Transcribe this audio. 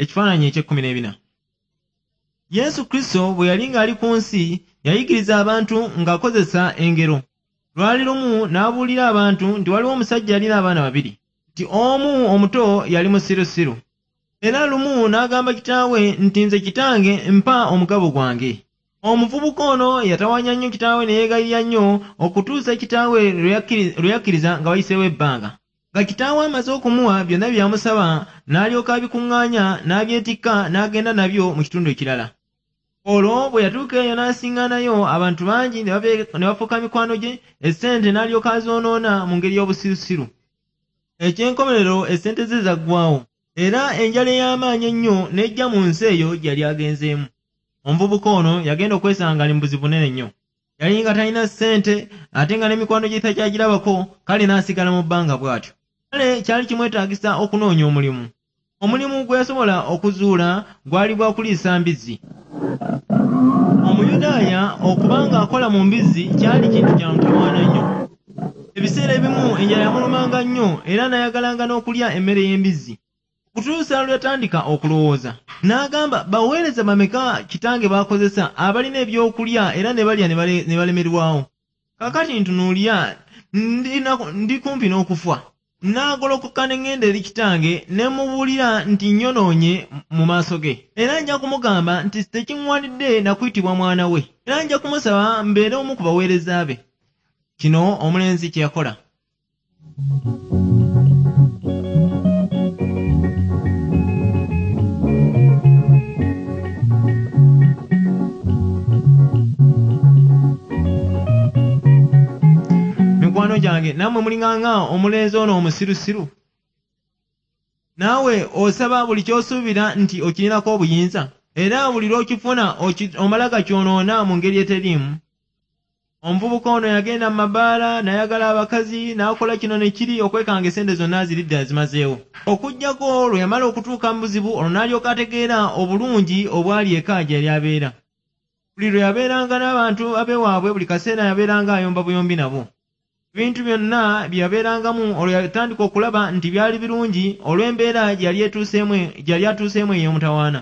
Ekifaananyi eky'ekkumi n'ebina. Yesu Kristo bwe yali ng'ali ku nsi, yayigiriza abantu ng'akozesa engero. Lwali lumu n'abuulira abantu nti waliwo omusajja yalina abaana babiri, nti omu omuto yali musirusiru. Era lumu n'agamba kitaawe nti, "Nze kitange, mpa omugabo gwange." Omuvubuka ono yatawaanya nnyo kitaawe ne yeegayirira nnyo okutuusa kitaawe lwe yakkiriza nga wayiseewo ebbanga. Nga kitaawe amaze okumuwa byonna bye yamusaba, n'alyoka abikuŋŋaanya n'abyetikka n'agenda nabyo mu kitundu ekirala. Olwo bwe yatuuka eyo n'asiŋŋaanayo abantu bangi ne bafuuka mikwano gye, essente n'alyoka azoonoona mu ngeri y'obusirusiru. Eky'enkomerero essente ze zaggwaawo, era enjala ey'amaanyi ennyo n'ejja mu nsi eyo gye yali agenzeemu. Omuvubuka ono yagenda okwesanga ng'ali mu buzibu bunene nnyo. Yali nga talina ssente ate nga n'emikwano gye takyagirabako, kale n'asigala mu bbanga bw'atyo. Kale kyali kimwetaagisa okunoonya omulimu. Omulimu gwe yasobola okuzuula gwali gwa kuliisa mbizzi. Omuyudaaya okuba ng'akola mu mbizzi kyali kintu kya mutawaana nnyo. Ebiseera ebimu enjala yamulumanga nnyo era n'ayagalanga n'okulya emmere y'embizzi. Okutuusa lwe yatandika okulowooza, n'agamba, "Baweereza bameka kitange b'akozesa abalina ebyokulya era ne balya ne balemerwawo? Kaakati ntunuulira, ndi kumpi n'okufa. Nnaagolokoka ne ŋŋenda eri kitange ne mmubuulira nti nnyonoonye mu maaso ge. Era nja kumugamba nti tekiŋŋwanidde na kuyitibwa mwana we. Era nja kumusaba mbeere omu ku baweereza be." Kino omulenzi kye yakola. Mikwano gyange, nammwe mulinganga omulenzi ono omusirusiru? Naawe osaba buli ky'osuubira nti okirinako obuyinza, era buli lw'okifuna omala gakyonoona mu ngeri eteriimu. Omuvubuka ono yagenda mu mabaala n'ayagala abakazi n'akola kino ne kiri okwekanga essente zonna aziridde azimazeewo. Okuggyako lwe yamala okutuuka mu buzibu, olwo n'alyoka ategeera obulungi obwali eka gye yali abeera. Buli lwe yabeeranga n'abantu ab'ewaabwe, buli kaseera yabeeranga ayomba buyombi nabo. Ebintu byonna bye yabeerangamu olwo yatandika okulaba nti byali birungi olw'embeera gye yali atuuseemu ey'omutawaana.